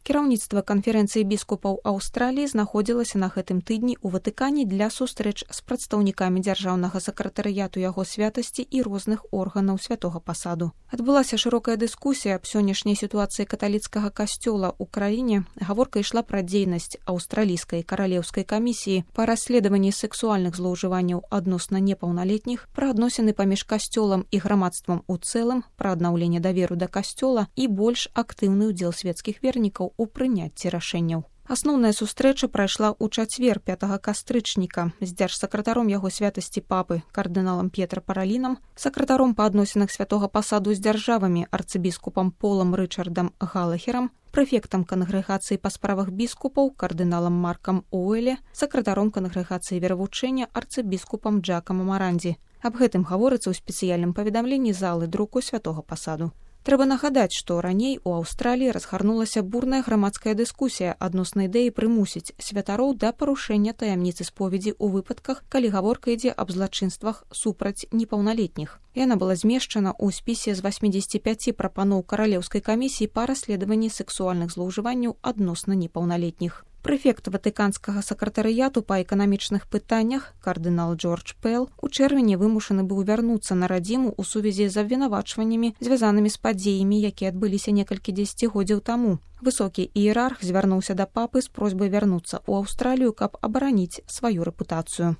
Кіраўніцтва канферэнцыі біскупаў Аўстраліі знаходзілася на гэтым тыдні ў Ватыкане для сустрэч з прадстаўнікамі дзяржаўнага сакратарыяту яго святасці і розных органаў святога пасаду. Адбылася шырокая дыскусія аб сённяшняй сітуацыі каталіцкага касцёла ў краіне. Гаворка ішла пра дзейнасць аўстралійскай каралеўскай камісіі па расследаванні сексуальных злоўжыванняў адносна непаўналетніх, пра адносіны паміж касцёлам і грамадствам у цэлым, пра аднаўленне даверу да касцёла і больш актыўны ўдзел свецкіх вернікаў у прыняцці рашэнняў. Асноўная сустрэча прайшла ў чацвер 5 кастрычніка з дзяржсакратаром яго святасці папы кардыналам П'етра Паралінам, сакратаром па адносінах святога пасаду з дзяржавамі арцыбіскупам Полам Рычардам Галахерам, прэфектам кангрэгацыі па справах біскупаў кардыналам Маркам Оуэле, сакратаром кангрэгацыі веравучэння арцыбіскупам Джакамам Арандзі. Аб гэтым гаворыцца ў спецыяльным паведамленні залы друку святога пасаду. Трэба нагадаць, што раней у Аўстраліі разгарнулася бурная грамадская дыскусія адносна ідэі прымусіць святароў да парушэння таямніцы споведзі ў выпадках, калі гаворка ідзе аб злачынствах супраць непаўналетніх. Яна была змешчана ў спісе з 85 прапаноў каралеўскай камісіі па расследаванні сексуальных злоўжыванняў адносна непаўналетніх. Прэфект ватыканскага сакратарыяту па эканамічных пытаннях кардынал Джордж Пэл у чэрвені вымушаны быў вярнуцца на радзіму ў сувязі з абвінавачваннямі, звязанымі з падзеямі, якія адбыліся некалькі дзесяцігоддзяў таму. Высокі іерарх звярнуўся да папы з просьбай вярнуцца ў Аўстралію, каб абараніць сваю рэпутацыю.